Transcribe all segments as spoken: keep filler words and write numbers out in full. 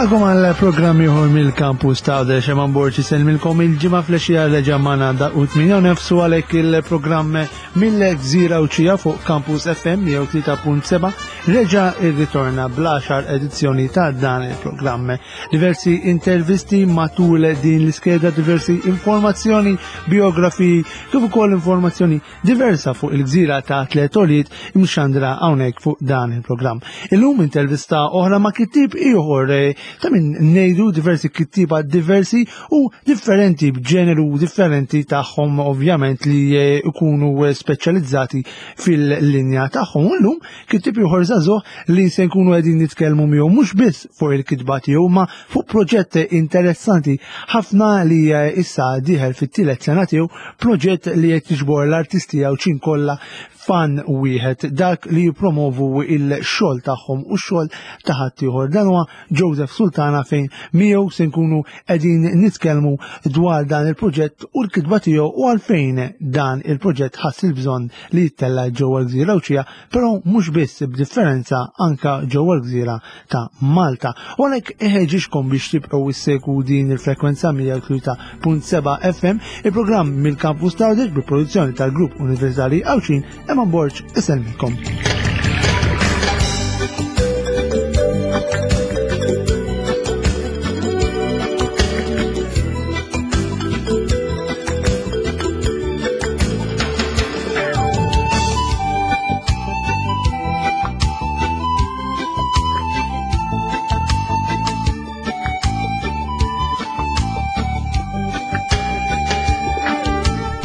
Nilqagħkom għal programm ieħor mill-Kampus ta' Għawdex. Eman Borg isellmilkom. Il-Ġimgħa filgħaxija reġa' magħna daqq tmienja u nofs għalhekk il-programm mill-Gżira Għawdxija fuq Campus F M mija u tlieta punt seba' reġa' irritorna bl-għaxar edizzjoni ta' dan il-programm. Diversi intervisti matul din l-iskeda, diversi informazzjoni, biografiji, kif ukoll informazzjoni diversa fuq il-gżira ta' tliet għoljiet imxandra hawnhekk fuq dan il-programm. Illum intervista oħra ma' kittib ieħor eh, ta' min ngħidu diversi kittiba diversi u differenti b'ġeneru differenti tagħhom, ovvjament li eh, ikunu eh, speċjalizzati fil-linja tagħhom. U llum kittib ieħor żagħżugħ li se nkunu qegħdin nitkellmu miegħu mhux biss fuq il-kitba tiegħu, ma fuq proġett interessanti ħafna li eh, issa dieħel fit-tielet sena tiegħu, proġett li qed jiġbor l-artisti Għawdxin kollha f'għan wieħed, dak li jippromovu il-xogħol tagħhom u x-xogħol ta' ħaddieħor. Dan huwa Joseph Sultana, fejn miegħu se nkunu qegħdin nitkellmu dwar dan il-proġett u l-kitba tiegħu u għalfejn dan il-proġett ħass il-bżonn li jittella' ġewwa l-Gżira Għawdxija, però mhux biss, b'differenza anka ġewwa l-Gżira ta' Malta. U għalhekk iħeġġiġkom biex tibqgħu issegwu din il-frekwenza mija u tlieta punt seba' F M, il-programm mill-Kampus ta' Għawdex bi produzzjoni tal-Grupp Universitari Għawdxin. Eman Borg isellmikom.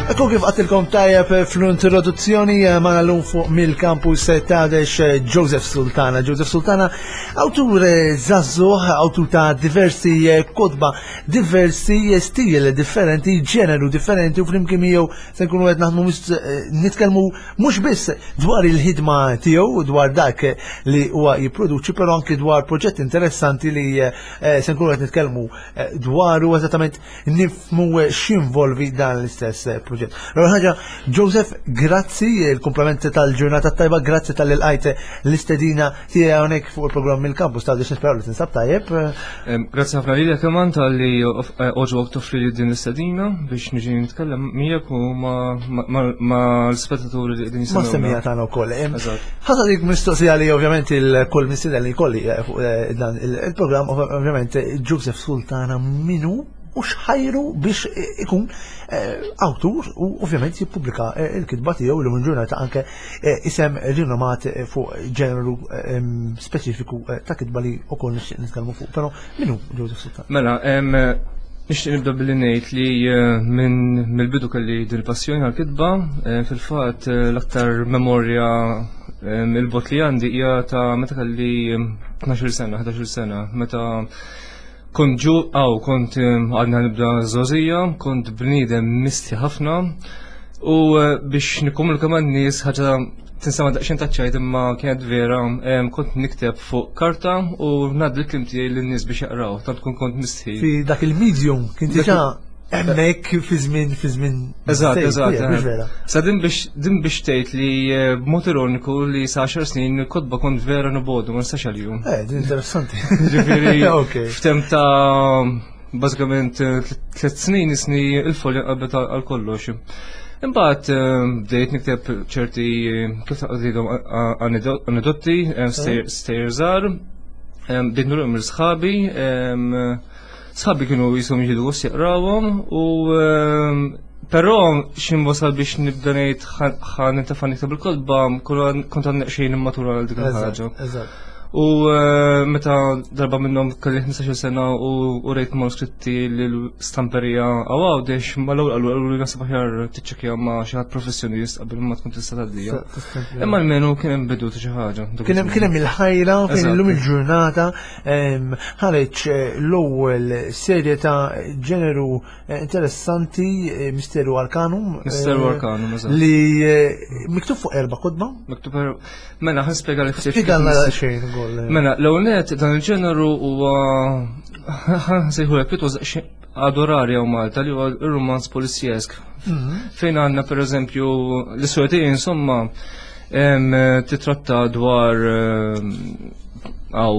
Ekku, kif għedtilkom tajjeb fl-introduzzjoni, magħna llum fuq mill-Kampus ta' Għawdex Joseph Sultana. Joseph Sultana, awtur żagħżugħ, awtur ta' diversi kotba, diversi stil differenti, ġeneru differenti, u flimkien miegħu se nkunu qed naħdmu nitkellmu mhux biss dwar il-ħidma tiegħu, dwar dak li huwa jipproduċi, però anki dwar proġett interessanti li se nkunu qed nitkellmu dwaru, eżattament nifhmu x'involvi dan l-istess proġett. L-ewwel ħaġa, Joseph, grazzi, il-kumplament tal-ġurnata tajba, grazzi talli lqajt l-istedina tiegħi hawnhekk fuq il-programm mill-Kampus ta' Għawdex, nisperaw li tinsab tajjeb. Grazzi ħafna lilek, Eman, talli għoġbok toffri li din l-istedina biex niġi nitkellem miegħek u ma l-spettaturi li qegħdin Ma semmija tagħna wkoll. Ħa dik mistoqsija li ovvjament il-kull mistieden li jkolli fuq dan il-programm, ovvjament, Joseph Sultana min hu u x'ħajru biex ikun awtur u ovvjament jippubblika il-kitba tiegħu li minn ġurnata anke isem rinomat fuq ġeneru speċifiku ta' kitba li wkoll nixtieq nitkellmu fuq. Però min hu Joseph Sultana? Mela, nixtieq nibda billi ngħid li minn mill-bidu kelli din il-passjoni għal-kitba, fil-fatt l-aktar memorja il-bogħod li għandi hija ta' meta kelli tnax-il sena, ħdax-il sena, meta kont ġu, għaw, kont għadna nibda żgħożija, kont bniedem mistħi ħafna u biex nikkomunika man nies, ħaġa tinstema' daqsxejn taċ-ċajt imma kienet vera, kont nikteb fuq karta u ngħaddi l-kliem tiegħi lin-nies biex jaqraw, tant kun kont mistħi. Fi dak il-medium kien diġà hemmhekk fi żmien fi żmien. Eżatt, eżatt. Mhux vera? Sa din biex din biex tgħid li b'mod ironiku li sa għaxar snin il-kotba kont vera nobgħodhom, ma nistax għalihom. Eh, din interessanti. Ġifieri f'temp ta' bażikament tliet snin isni il-folja qabet għal kollox. Imbagħad bdejt nikteb ċerti, kif taqdidhom, anedotti, stejjer żgħar, bdejt nurihom lil sħabi, sħabi kienu jisom jieħdu gost jaqrawhom u però x'ħin wasal biex nibda ngħid ħa nintefa' nikteb il-kotba, kont għadni xejn immatura għal dik il-ħaġa. U meta darba minnhom kelli ħmistax-il sena u rejt manuskritti l-istamperija Għawdex, mal-ewwel qalu qalu li naħseb aħjar tiċċekkja ma' xi ħadd professjonist qabel ma tkun tista' tgħaddija. Imma almenu kien hemm bidu ta' xi ħaġa. Kien hemm kien hemm il-ħajra fejn illum il-ġurnata ħareġ l-ewwel serje ta' ġeneru interessanti, Misteru Arcanum. Misteru Arcanum, eżatt. Li miktub fuq erba' kotba. Miktub erba'. Mela, ħa nispjega li ftit. Spjegalna xejn ukoll. Mela, l-ewwel nett dan il-ġeneru huwa, ħa nsejħu pjuttost għadu rari hawn Malta, li huwa ir-romanz polizjesk. Fejn għandna pereżempju l-istorja tiegħi, insomma, titratta dwar Għaw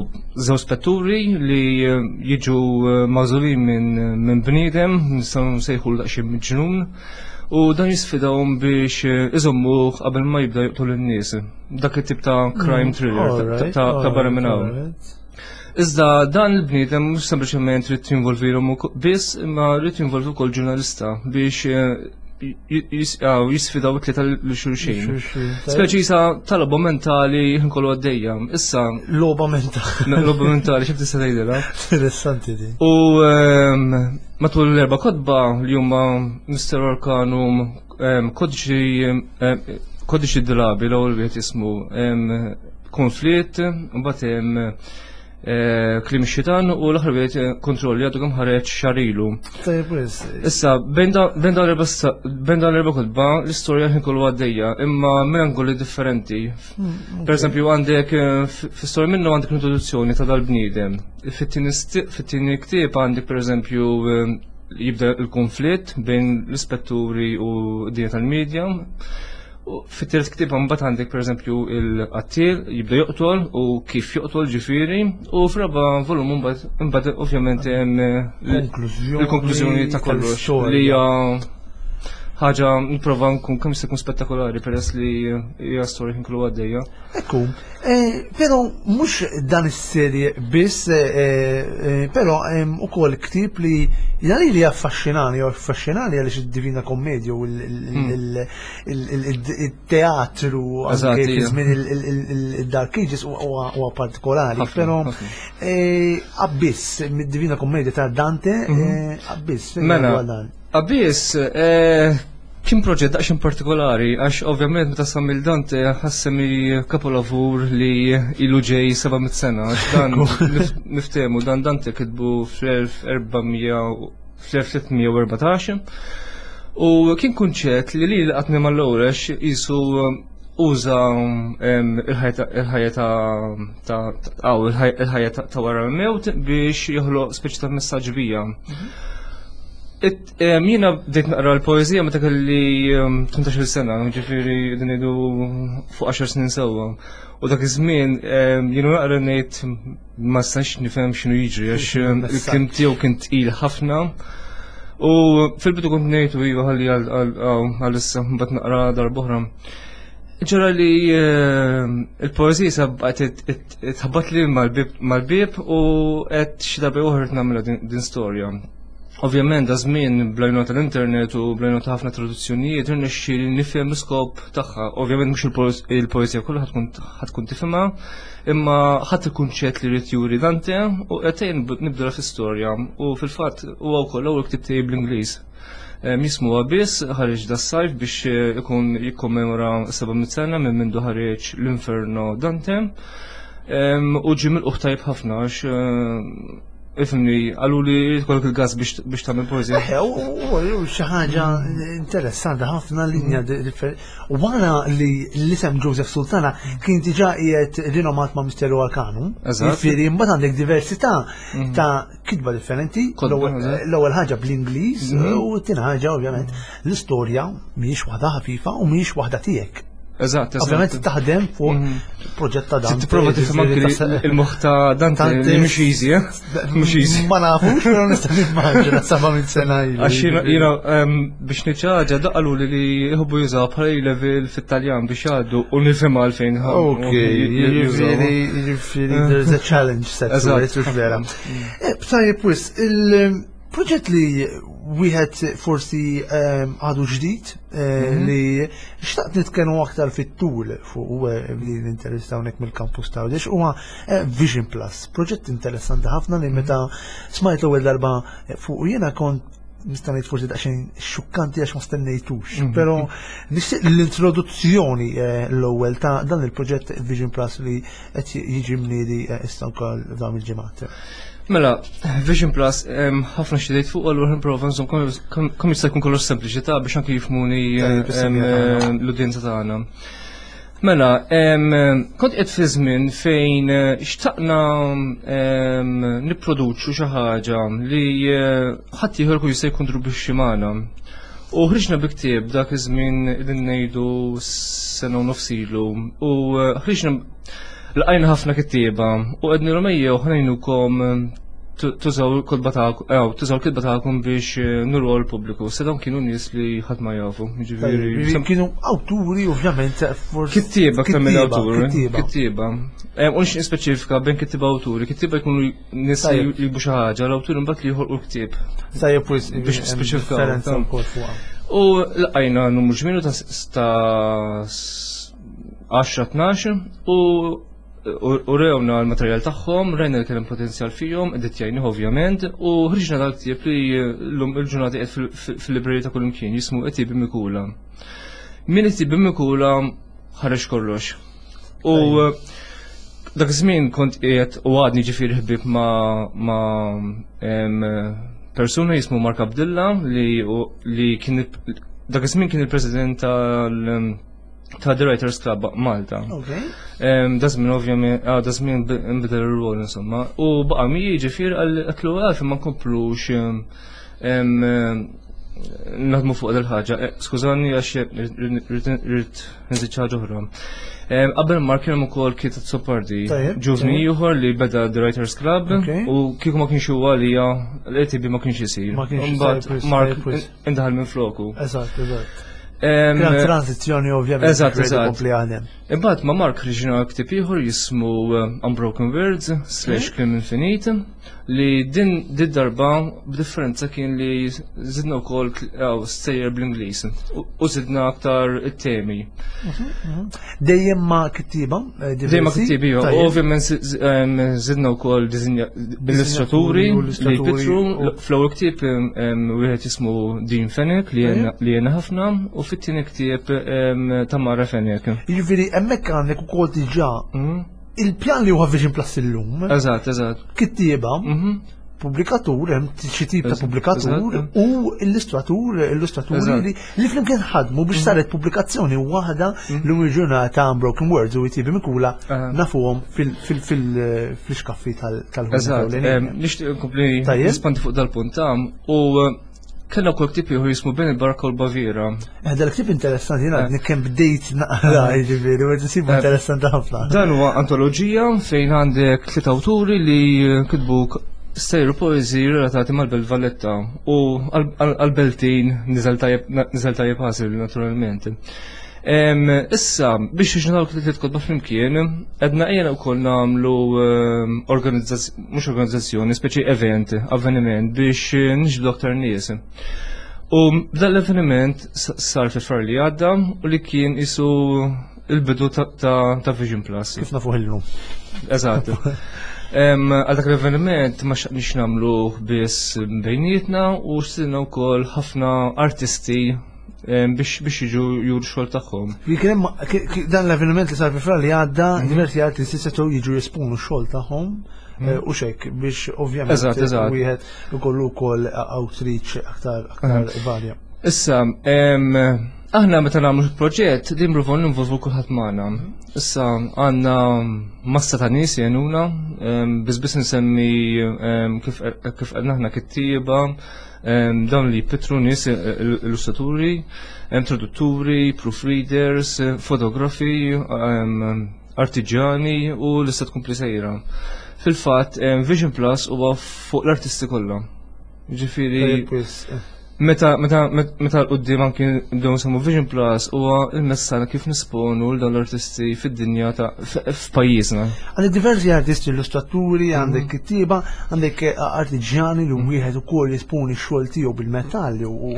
żewġ spetturi li eh, jiġu eh, magħżulin minn minn bniedem, nistgħu nsejħu daqsxejn miġnun, u dan jisfidawhom biex eh, iżommuh qabel ma jibda joqtol in-nies. Dak it-tip ta' crime thriller ta- Alright, ta' ta' barra minn hawn. alright. Iżda dan il-bniedem mhux sempliċement trid jinvolvilhom ukoll- biss, imma rrid jinvolvi wkoll ġurnalista biex eh, j- jis- għaw, jisfidaw it-tlieta lil xulxin. Xulxin, tajjeb. Speċi sa talba mentali kollu għaddejja. Issa, Logħba mentali. logħba mentali, xif tista' tgħidilha. Interessanti di. U ehm, matul l-erba' kotba li huma Mister Arcanum, ehm, kodiċi ehm, kodiċi drabi, l-ewwel wieħed jismu ehm, konflitt, mbagħad hemm eh, Kliem ix-Xitan u l-aħħar wieħed eh, kontrolli għadu kemm ħareġ xahar ilu. Tajjeb, wis. Issa, bejn da- bejn dawn l-erba' sta- bejn dawn l-erba' kotba, l-istorja ħin kollu għaddejja, imma minn angoli differenti. Per eżempju, għandek eh, f- fi-storja minnu għandek l-introduzzjoni ta' dal-bniedem. Fit-tieni sti- fit-tieni ktieb għandek per eżempju eh, jibda il-konflitt bejn l-ispetturi u d-dinja tal-medja. U fit-tielet ktieb mbagħad għandek per eżempju il-qattil jibda joqtol u kif joqtol ġifieri, u f'raba' volum mbagħad imbagħad ovvjament hemm eh, Konklużjoni il-konklużjoni ta' kollox tal-istorja. li hija ħaġa nipprova nkun kemm jista' jkun spettakolari peress li hija storja kien kollu għaddejja. Ekku, eh, pero mhux dan is-serje biss, eh, eh, però hemm ukoll ktieb li jani li affaxxinani, jew affaxxinani għaliex id-Divina Kommedia u il-teatru Eżatt, anke fi ija. żmien il-Dark Ages huwa huwa partikolari, Ħafna, però ħafna. eh, Abyss, mid-Divina Kommedia ta' Dante, eh, Abyss, fejn Mela, huwa dan? Abyss, eh, kien proġett daqsxejn partikolari, għax ovvjament meta samil Dante ħassemi kapolavur li ilu ġej seba' mitt sena, għax dan nif- niftehmu dan Dante kitbu fl-elf erba' mija fl-elf tliet mija u erbatax u kien kunċett li li laqatni mal-ewwel għax jisu uża em, il-ħajja il-ħajja ta' ta' ta' aw, il-ħajja il-ħajja ta' ta' wara l-mewt biex joħloq speċi ta' messaġġ bija. It- em, Jiena bdejt naqra l-poezija meta kelli em, tmintax-il sena, ġifieri din ngħidu fuq għaxar snin sewwa. U dak iż-żmien em, jiena naqra ngħid ma nistax nifhem x'inhu jiġri għax em, il-kliem tiegħu kien tqil ħafna. U fil-bidu kont ngħid u iva ħalli għal- għal għal issa mbagħad naqra darb'oħra. Ġara li em, il-poezija sabqgħet tħabbat li mal-bib mal-bib u qed xi darba oħra nagħmilha din- din storja. Ovvjament, da żmien bl-għajnuna tal-internet u bl-għajnuna ta' ħafna traduzzjonijiet irnexxi li nifhem l-iskop tagħha. Ovvjament mhux il-poez- il-poeżija kollha ħatkun ħatkun tifhimha, imma ħadd il-kunċett li jrid juri Dante u qed nibdu fl-istorja u fil-fatt huwa wkoll l-ewwel ktieb tiegħi bl-Ingliż. Em, Jismu Abyss, ħareġ da sajf biex eh, ikun jikkommemora seba' mitt sena minn mindu ħareġ l-Inferno Dante. Em, U ġie milqugħ tajjeb ħafna għax eh, ifhimni, qalu li jkollok il-gas biex biex tagħmel poeżija. Eħe, u u xi ħaġa interessanti ħafna, linja differenti. U wara li l-isem Joseph Sultana kien diġà qiegħed rinomat ma' Misteru Arcanum. Eżatt. Jiġifieri mbagħad għandek diversità ta' kitba differenti. Kotba, L-ewwel eżatt. L-ewwel ħaġa bl-Ingliż u t-tieni ħaġa ovvjament l-istorja mhijiex waħda ħafifa u mhijiex waħda tiegħek. Eżatt, eżatt. Ovvjament taħdem fuq proġett ta' dan. Tipprova tifhem anke li il-moħħ ta' Dante li mhux easy, eh? Mhux easy. Ma nafux, però nista' nimmaġina seba' minn sena ilu. Għax jiena jiena, em, biex niċċaġa daqalu li li jħobbu jużaw bħala level fit-Taljan biex jgħaddu u nifhem għalfejn. Ok, jiġifieri, jiġifieri, there's a challenge set to Eżatt. it, hux vera. Eh, Tajjeb, wis, il-proġett li wieħed forsi ehm, għadu ġdid eh, li xtaqt nitkellmu aktar fit-tul fuq eh, li l-interess hawnhekk mill-campus ta' Għawdex huwa eh, Vision Plus, proġett interessanti ħafna li meta smajt l-ewwel darba eh, fuq jiena kont nista' ngħid forsi daqsxejn xukkanti għax ma stennejtux, però nixtieq l-introduzzjoni eh, l-ewwel ta' dan il-proġett Vision Plus li qed jiġi mniedi eh, issa wkoll f'dawn il-ġimgħat. Mela, Vision Plus, em, ħafna xidejt fuq, allura nprova nżomm kemm kemm jista' jkun kollox sempliċi ta' biex anke jifhmuni Tajjeb, em, is-semmiegħa l-udjenza tagħna. Mela, em, kont qed fi żmien fejn eh, xtaqna em, nipproduċu xi ħaġa li eh, ħadd ieħor jkun jista' jikkontribwixxi magħna. U ħriġna bi ktieb dak iż-żmien li ngħidu sena u nofs ilu u eh, ħriġna Lqajna ħafna kittieba u għednielhom ejjew ħa ngħinukom tużaw il-kotba tagħkom, tużaw il-kitba tagħkom biex nuru l-pubbliku. Se dawn kienu nies li ħadd ma jafu. Ġifieri kienu awturi ovvjament forsi. Kittieba aktar minn awturi. Kittieba. U nixtieq nispeċifika bejn kittieba awturi. Kittieba jkunu nies li jiktbu xi ħaġa, l-awturi mbagħad li joħolqu l-ktieb. Tajjeb biex nispeċifikaw. U lqajna numru ġmielu ta' għaxra tnax u u rewna l-materjal tagħhom, rajna li kien hemm potenzjal fihom, editjajnih ovvjament, u ħriġna dal-ktieb li llum il-ġurnata qiegħed fil-librerija ta' kullimkien jismu Għetiebi Mikula. Min Għetiebi Mikula ħareġ kollox. U dak iż-żmien kont qiegħed u għadni ġifieri ħbieb ma' persuna jismu Mark Abdilla li li kien dak iż-żmien kien il-president tal ta' The Writers Club Malta. Da żmien ovvjament, ah, da żmien nbidel ir-rol insomma. U baqa' mi ġifier għatlu għalfejn ma nkomplux naħdmu fuq dil-ħaġa. Skużani għax rrid nżid xi ħaġa oħra. Qabel Mark kien hemm ukoll Keith Azzopardi, ġuvni ieħor li beda The Writers Club u kieku ma kienx huwa għalija l-A T B ma kienx isir. Mbagħad Mark indaħal minn floku. Eżatt, eżatt. Kien transizzjoni ovvjament. Eżatt, eżatt. Imbagħad ma' Mark ħriġna ktieb ieħor jismu Unbroken Words slash Kliem Infinit li din din darba b'differenza kien li żidna wkoll stejjer bl-Ingliż u żidna aktar it-temi. Dejjem ma' kittieba? Dejjem ma' kittieba, ovvjament żidna wkoll illustraturi li jpittru. Fl-ewwel ktieb wieħed jismu Dean Fenech li jena ħafna u fit-tieni ktieb Tamara Fenech. Jiġifieri hemmhekk għandek ukoll diġà il-pjan li huwa Vision Plus illum. Eżatt, eżatt. Kittieba, pubblikatur, hemm xi tip ta' pubblikatur u illustratur, illustraturi li li flimkien ħadmu biex saret pubblikazzjoni waħda l ġurnata Unbroken Words u Għetiebi Mikula nafuhom fil-xkaffi tal Eżatt, nixtieq nkompli nispandi fuq dal-punt u kellna wkoll ktieb ieħor jismu Bejn il-Barka u l-Baviera. Eh, dal-ktieb interessanti, jiena għadni kemm bdejt naqra, jiġifieri, u nsibu interessanti ħafna. Dan huwa antoloġija fejn għandek tliet awturi li kitbu stejjer poeżiji relatati mal-Belt Valletta u għal-Beltin niżel tajjeb ħasil naturalment. Issa, biex nagħmlu tliet kotba flimkien, għedna ejja wkoll nagħmlu organizzazzjoni, mhux organizzazzjoni, speċi event, avveniment biex niġbdu aktar nies. U dan l-avveniment sar fi Frar li għadda u li kien isu il-bidu ta' Vision Plus. Kif nafuh illum. Eżatt. Għal dak l-avveniment ma xtaqniex nagħmlu biss bejnietna u xtilna wkoll ħafna artisti biex biex jiġu juru xogħol tagħhom. Dan l-avveniment li sar fi Frar li għadda, diversi artisti setgħu jiġu jesponu x-xogħol tagħhom u xek biex ovvjament wieħed ikollu wkoll outreach aktar aktar varja. Issa, aħna meta nagħmlu proġett din nipprovaw ninvolvu kulħadd magħna. Issa għandna massa ta' nies jgħinuna, biss biss insemmi kif kif għedna aħna kittieba, dawn li jpittru nies illustraturi, tradutturi, proofreaders, fotografi, artiġjani u lista tkompli sejra. Fil-fatt, Vision Plus huwa fuq l-artisti kollha. Ġifieri meta meta meta l-qudiem anki nibdew nsemmu Vision Plus huwa il-messaġġ kif nisponu l dawn l-artisti fid-dinja ta' f'pajjiżna. Għandek diversi artisti, illustraturi, għandek kittieba, għandek artiġjani li wieħed ukoll jesponi x-xogħol tiegħu bil-metall u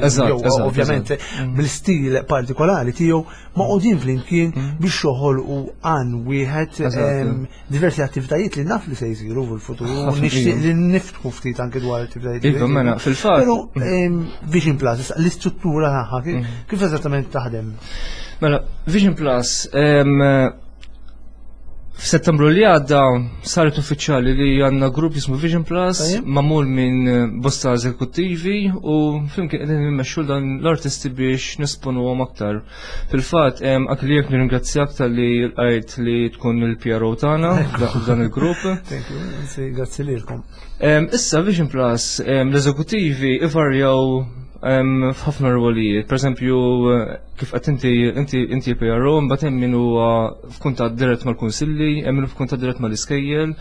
ovvjament bil-stil partikolari tiegħu magħqudin flimkien biex joħolqu għan wieħed diversi attivitajiet li naf li se jsiru fil-futur u nixtieq li niftħu ftit anke dwar attivitajiet. Iva, mela, fil-fatt. Però Vision Plus, l-istruttura tagħha kif eżattament taħdem? Mela, Vision Plus, f'Settembru li għadda saret uffiċjali li għandna grupp jismu Vision Plus magħmul minn bosta eżekuttivi u flimkien qegħdin nimmexxu dan l-artisti biex nesponuhom aktar. Fil-fatt, anke li jekk nirringrazzjak talli lqajt li tkun il-P R O tagħna f'dan il-grupp. Thank you, grazzi lilkom. Issa Vision Plus, l-eżekuttivi ivarjaw F'ħafna rwolijiet. Per eżempju, kif qed inti inti inti P R O, mbagħad hemm min huwa f'kuntatt dirett mal-kunsilli, hemm min f'kuntatt dirett mal-iskejjel,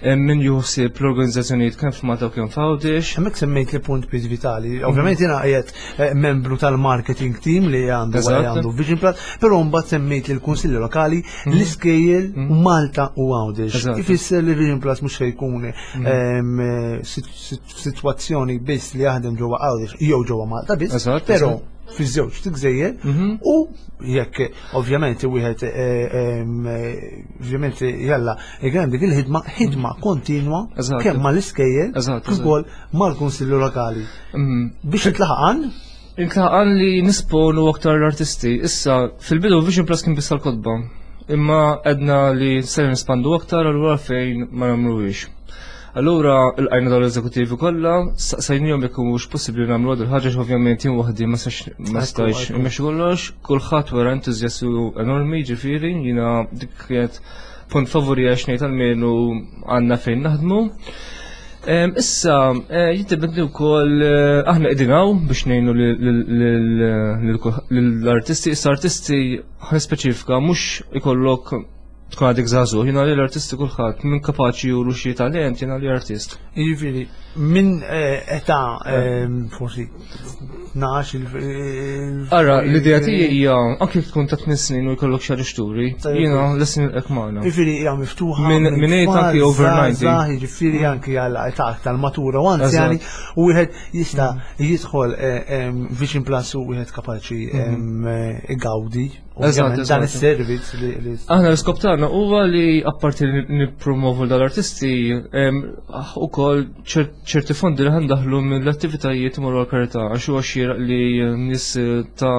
hemm min juħsib l-organizzazzjonijiet kemm f'Malta u kemm f'Għawdex. Hemmhekk semmejt li punt biż vitali. Ovvjament jiena qiegħed eh, membru tal-marketing team li għandu għandu Vision Plus, però mbagħad semmejt li l-kunsilli lokali, mhm. l-iskejjel mhm. Malta u Għawdex. Ifisser li Vision Plus mhux se jkun mhm. ehm, sitwazzjoni biss li jaħdem ġewwa Għawdex jew ġewwa Malta biss, però fiż-żewġ gżejjer mhm. u jekk ovvjament wieħed eh, eh, ovvjament jalla jgħem dik il-ħidma, ħidma kontinwa kemm mal-iskejjel kif ukoll mal-kunsillu lokali. Mhm. Biex intlaħaqan Intlaħaqan li nisponu aktar l-artisti. Issa, fil-bidu Vision Plus kien biss tal-kotba. Imma għedna li ser nispandu aktar, allura fejn ma nagħmluhiex? Allura l-għajna dawn l-eżekutivi kollha, saqsajnihom jekk mhux possibbli nagħmlu għad il-ħaġa, ovvjament jien waħdi ma stajx immexxi kollox, kulħadd wera entużjastu enormi, ġifieri jiena dik kienet punt favori għax ngħid almenu għandna fejn naħdmu. Issa, eh, jiddependi wkoll, eh, aħna qegħdin hawn biex ngħinu lill-artisti, issa artisti ħa speċifika mhux ikollok tkun għadek żagħżugħ, jiena li l-artisti kulħadd minn kapaċi juru xi talent jiena li artist. Jiġifieri minn eh, età eh, forsi tnax il Ara, l-idea tiegħi hija anke tkun ta' tmien snin u jkollok xi xturi, jiena lest nilqgħek magħna. Jiġifieri hija miftuħa. Minn minn eight anki over ninety. Jiġifieri anki għal età tal-matura u anzjani u wieħed jista' jidħol eh, Vision Plus u wieħed kapaċi mhm. igawdi dan is-servizz li Aħna l-iskop tagħna huwa li apparti li nippromovu dal-artisti, ukoll ċerti fondi li ħa ndaħħlu mill-attivitajiet imorru għal-karità, għax huwa xieraq li nies ta'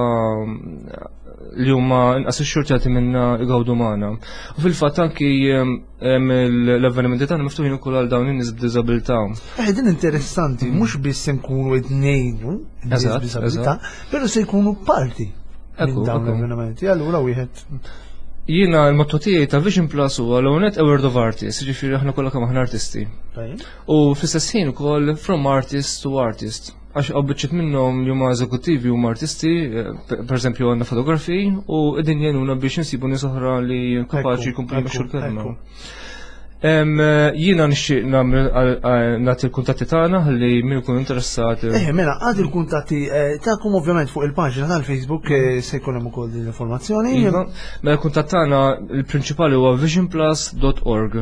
li huma inqas ixxurtjati minna igawdu magħna. U fil-fatt anki l-avvenimenti tagħna miftuħin ukoll għal dawn in-nies b'diżabilità. Eh, din interessanti, mhux biss se nkunu qed ngħinu nies b'diżabilità, però se jkunu parti minn dawn l-avvenimenti. Allura wieħed Jiena l-motto tiegħi ta' Vision Plus huwa l-ewwel a world of artists, ġifieri aħna kollha kemm aħna artisti. U fl-istess ħin ukoll from artist to artist. Għax hawn biċċiet minnhom li huma eżekuttivi huma artisti, eh, per eżempju għandna fotografi u qegħdin jgħinuna biex insibu nies oħra li kapaċi jkomplu jmexxu l-kelma. Jiena nixtieq nagħmel nagħti l-kuntatti tagħna ħalli min ikun interessat. Eh, mela, għad il-kuntatti eh, tagħkom ovvjament fuq il-paġna tal-Facebook eh, se jkun hemm ukoll din l-informazzjoni. Iva, mela l-kuntatt tagħna il-prinċipali huwa visionplus dot org.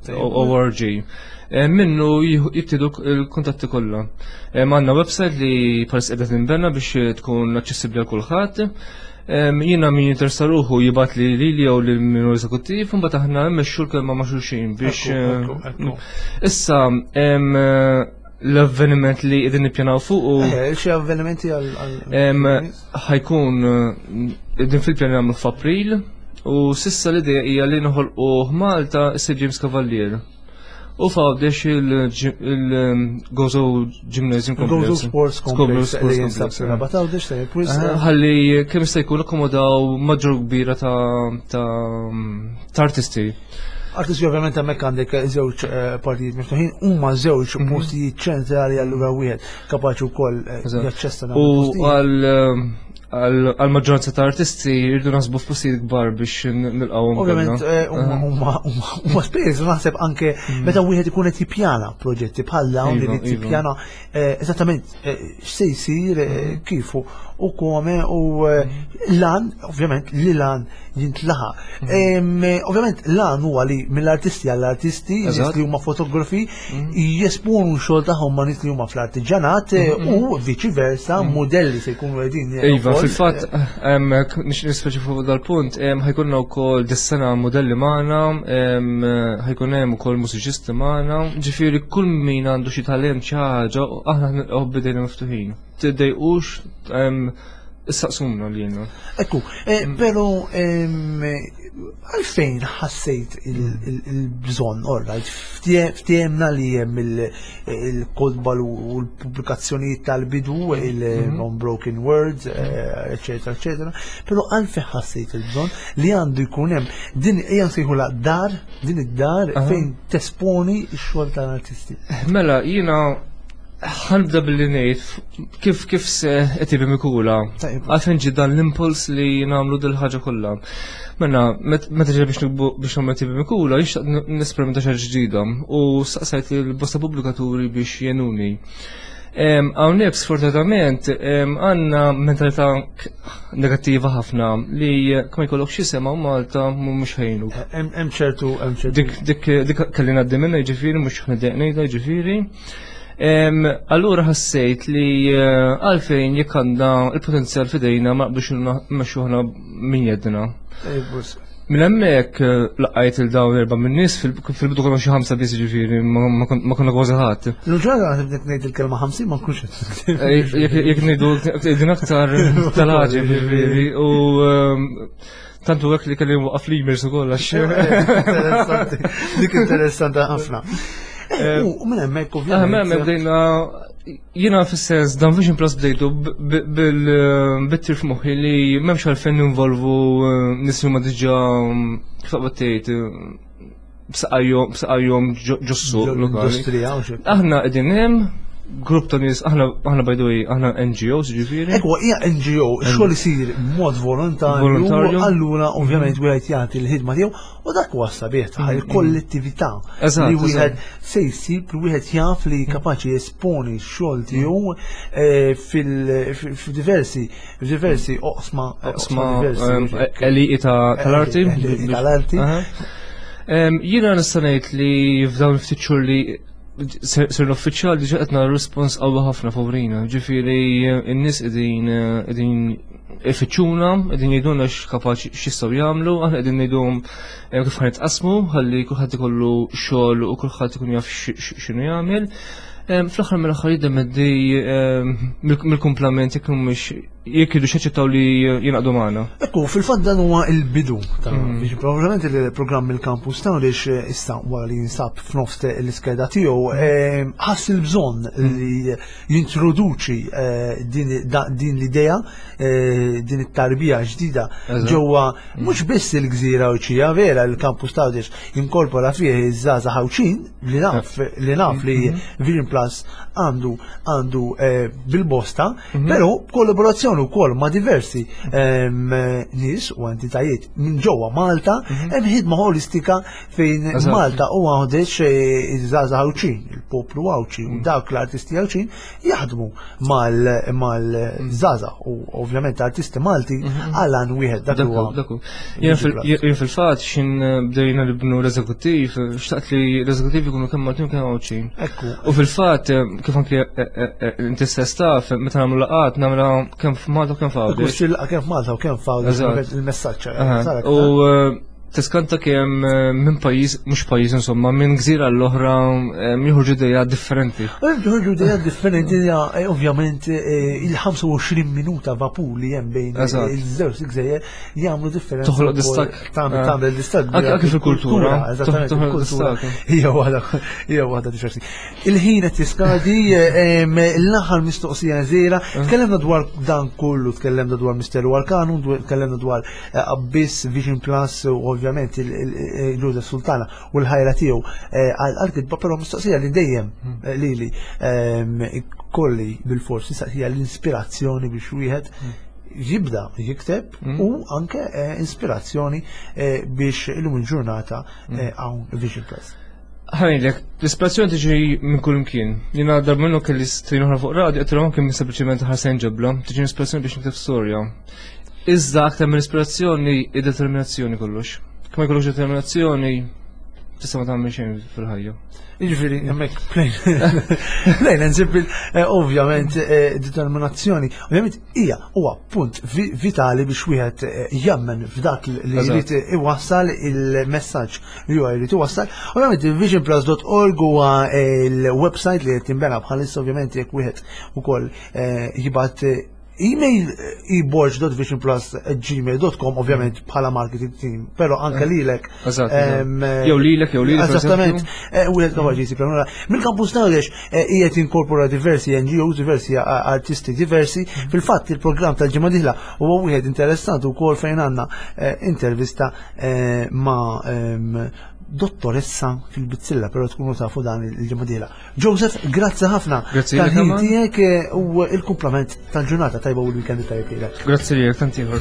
O R G. Eh, minnu jibtidu il-kuntatti kollha. Għandna website li paris qiegħda tinbena biex tkun aċċessibbli għal kulħadd. Jiena min jinteressa ruħu jibgħat li li jew lil minu eżekuttiv, mbagħad aħna mmexxu l-kelma ma' xulxin biex. Issa l-avveniment li qegħdin nippjanaw fuq u eh, xi avvenimenti għal ħa jkun qegħdin fil-pjan nagħmlu f'April u s'issa l-idea hija li noħolqu Malta Sir James Cavalier. U f'Għawdex il-Gozo Gymnasium Complex. Gozo Sports Complex li jinsab Rabat Għawdex, tajjeb wisq. Ħalli kemm jista' jkun akkomodaw maġġor kbira ta' artisti. Artisti, ovvjament hemmhekk għandek żewġ eh, partijiet miftuħin, huma żewġ mhm. postijiet ċentrali, allura wieħed kapaċi wkoll eh, jaċċessa. U għal għal-maġġoranza ta' artisti jridu nasbu f'postijiet kbar biex nilqgħuhom. Ovvjament eh, huma spejjeż, naħseb anke mhm. meta wieħed ikun qed jippjana proġetti bħal dawn li iva, jippjana eh, eżattament eh, x'se jsir, mhm. kif u kome u lan, ovvjament li lan jintlaħaq. Mhm. Ovvjament lan huwa li mill-artisti għall-artisti, nies li huma fotografi jesponu xogħol tagħhom ma' nies li huma fl-artiġanat u viċi versa, modelli se jkunu qegħdin. Iva, fil-fatt, nispeċifu dal-punt, ħa jkollna wkoll dis-sena modelli magħna, ħa jkun hemm ukoll mużiċisti magħna, ġifieri kull min għandu xi talent, xi ħaġa, aħna nilqgħu b'idejna miftuħin. Tiddejqux, issaqsuna lilna. Ekku, eh, però għalfejn ħassejt il-bżonn, all right, ftehemna li hemm il-kotba u l-pubblikazzjonijiet tal-bidu, il-Unbroken Words, eccetera, eccetera, però għalfejn ħassejt il-bżonn li għandu jkun hemm din hija nsejħula dar, din id-dar fejn tesponi x-xogħol tal-artisti? Mela, jiena Ħa nibda billi ngħid kif kif se qed Mikula. Għalfejn ġie dan l-impuls li nagħmlu dil-ħaġa kollha. Mela, meta ġej biex nikbu biex nagħmlu E T B Mikula, jixtaq nesperimenta xi ġdida u staqsajt il-bosta pubblikaturi biex jgħinuni. Hawnhekk sfortunatament għandna mentalità negattiva ħafna li kemm jkollok xi sema Malta mhux ħejnu. Hemm ċertu hemm ċertu. Dik dik dik kelli ngħaddi minnha, jiġifieri mhux ħneddeq ngħidha jiġifieri. Allura ħassejt li eh, għalfejn jekk għandna il-potenzjal f'idejna ma naqbdux mmexxuh minn jeddna. Minn hemmhekk eh, laqajt il dawn erba' minn nies, fil-bidu konna xi ħamsa biss, ġifieri ma konna kważi ħadd. L-ġara nibdet ngħid il-kelma ħamsin ma nkunx eh, Jekk ngħidu qegħdin aktar tal-ħaġa, ġifieri, u tantu hekk li kelli waqaf l-emails ukoll għax. Dik interessanti ħafna. Eh, u minn hemmhekk ovvjament. Minn hemmhekk bdejna, jiena fis-sens dan Vision Plus bdejtu bil-tir f'moħħi li m'hemmx għalfejn ninvolvu eh, nies huma diġà, kif taqbad tgħid, b'saqajhom ġos-suq lokali. Aħna qegħdin hemm grupp ta' nies, aħna aħna by the way, aħna N G Os ġifieri. Ekwa, hija N G O, xogħol isir b'mod volontarju, allura ovvjament wieħed jagħti l-ħidma tiegħu u dak huwa sabiħ ta' il-kollettività li wieħed se jsib li wieħed jaf li kapaċi jesponi x-xogħol tiegħu eh, fil-diversi diversi oqsma. Oqsma għeliqi tal-arti. Tal-arti. Jiena nista' ngħid li f'dawn ftit xhur li sirna uffiċjal diġà qed nara respons qawwi ħafna favorina. Ġifieri n-nies qegħdin qegħdin ifittxuna, qegħdin jgħidulna x'kapaċi x'jistgħu jagħmlu, aħna qegħdin ngħidulhom eh, kif ħa nitqasmu ħalli kulħadd ikollu xogħol u kulħadd ikun jaf x'inhu jagħmel. Fl-aħħar mill-aħħar jiddependi mill-kumplament jekk mhux jekk jridu jaċċettaw li jingħaqdu magħna. Ekku, fil-fatt dan huwa il-bidu ta' mm. biex probabbilment il-programm il-campus ta' għaliex issa wara li jinsab f'nofs l-iskeda tiegħu mm. ħass il-bżonn mm. li jintroduċi eh, din l-idea, eh, din it-tarbija ġdida ġewwa mhux biss il-gżira Għawdxija. Vera, il-campus ta' Għawdex jinkorpora fih iż-żgħażagħ Għawdxin li naf li naf li Vision Plus għandu għandu eh, bil-bosta, però kollaborazzjoni wkoll ma' diversi nies u entitajiet minn ġewwa Malta, mhm. hemm ħidma holistika fejn Malta u Għawdex, eh, iż-żgħażagħ Għawdxin, il-poplu Għawdxi u mhm. dawk l-artisti Għawdxin jaħdmu mal-żgħażagħ u ovvjament artisti Malti mhm. għal għan wieħed, dak huwa. Jien fil-fatt xin bdejna nibnu l-eżekuttiv, xtaqt li l-eżekuttiv ikunu kemm Maltin kemm Għawdxin. U fil-fatt kif anke eh, eh, inti stess taf, meta nagħmlu laqgħat nagħmlu kemm f'Malta u kemm f'Għawdex. Kemm f'Malta u kemm f'Għawdex il-messaġġ. U tiskanta kemm eh, minn pajjiż, mhux pajjiż insomma, minn gżira l-oħra eh, joħorġu idea differenti. Joħorġu idea differenti, eh, ovvjament il-ħamsa u għoxrin minuta vapur li hemm bejn iż-żewġ gżejjer jagħmlu differenza. Toħloq distakk. Tagħmel distakk. Anke fil-kultura. Eżattament, il-kultura. Hija waħda hija waħda diversi. Il-ħin qed jiskadi, l-aħħar mistoqsija żgħira, tkellimna dwar dan kollu, tkellimna dwar Misteru Arkanu, tkellimna dwar Abyss, Vision Plus u ovvjament il-Joseph Sultana u l-ħajra tiegħu eh, għal-kitba, però mistoqsija li dejjem hmm. eh, li li ehm, kolli bil-forsi hija l-ispirazzjoni biex wieħed hmm. jibda jikteb hmm. u anke eh, ispirazzjoni biex illum il-ġurnata hawn Vision Plus. Ħa ngħidlek, l-ispirazzjoni tiġi minn kull imkien. Jiena darba minnu kelli stejn oħra fuq radio, għedtilhom anke minn sempliċement ħarsen ġebla, tiġi ispirazzjoni biex nikteb storja. Iżda aktar minn ispirazzjoni, id-determinazzjoni kollox. Kemm jkollok determinazzjoni, tista' ma tagħmel xejn fil-ħajja. Jiġifieri hemmhekk plain plain and simple, eh, ovvjament eh, determinazzjoni, ovvjament hija huwa punt vitali biex wieħed eh, jemmen f'dak li jrid iwassal, il-messaġġ li huwa jrid iwassal. Ovvjament visionplus punt org huwa il-website li qed tinbena bħalissa, ovvjament jekk wieħed ukoll jibgħat email eborg punt visionplus at gmail punt com, ovvjament bħala marketing team, pero anke lilek. Jew lilek, jew lilek. Eżattament, u għed kapaċi jsib. Mill-campus Knowledge qiegħed inkorpora diversi N G Os, diversi artisti diversi. Fil-fatt il-programm tal-ġimgħa dieħla huwa wieħed interessanti wkoll fejn għandna intervista ma' dottoressa fil-bizzilla, però tkunu tafu dan il-ġimgħa dieħla. Joseph, grazzi ħafna Grazzi tal-ħin tiegħek u il-kumplament tal-ġurnata tajba u l-weekend tajjeb lilek. Grazzi lilek, tant ieħor.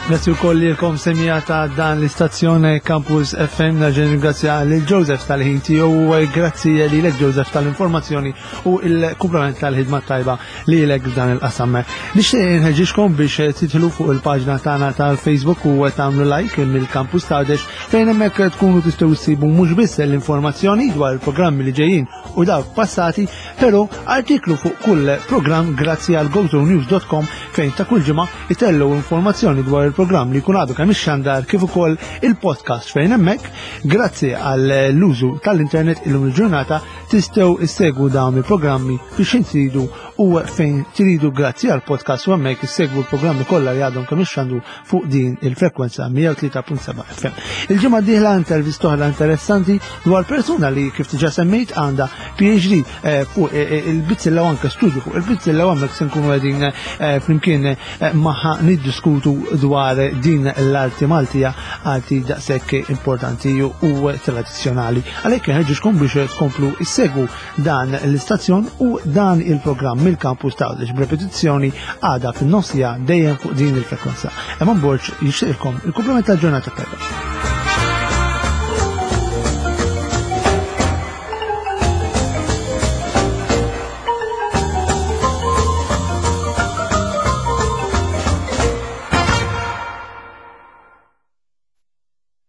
Grazzi wkoll lilkom semija ta' dan l-istazzjon Campus F M. Nerġa' ringrazzja lil Joseph tal-ħin tiegħu u grazzi lilek Joseph tal-informazzjoni u l-kumplament tal-ħidma tajba lilek f'dan il-qasam. Nixtieq inħeġġixkom biex tidħlu fuq il-paġna tagħna tal-Facebook u tagħmlu like mill-Campus Għawdex fejn hemmhekk tkunu tistgħu ssibu mhux biss l-informazzjoni dwar il-programmi li ġejjin u dawk passati, però artiklu fuq kull programm grazzi għal gozonews dot com fejn ta' kull ġimgħa itellu informazzjoni dwar il-programm li jkun għadu kemm ixxandar kif ukoll il-podcast fejn hemmhekk grazzi għall-użu tal-internet illum il-ġurnata tistgħu issegwu dawn il-programmi biex intridu u fejn tridu grazzi għall-podcast u hemmhekk issegwu l-programmi kollha li għadhom kemm ixxandu fuq din il-frekwenza mija u tlieta punt seba' F M. Il-ġimgħa d-dieħla intervista oħra interessanti dwar persuna li kif diġà semmejt għandha P H D, eh, fuq, eh, eh, il-bizzilla u anke studju fuq il-bizzilla u hemmhekk se nkunu qegħdin, eh, flimkien, eh, magħha niddiskutu dwar din l-arti Maltija, arti daqshekk importanti u tradizzjonali. Għalhekk inħeġġixkom biex tkomplu issegwu dan l-istazzjon u dan il-programm mill-Campus ta' Għawdex b'repetizzjoni għada fin-nofsija dejjem fuq din il-frekwenza. Eman Borg jixtieqilkom il-kumplament tal-ġurnata tajba.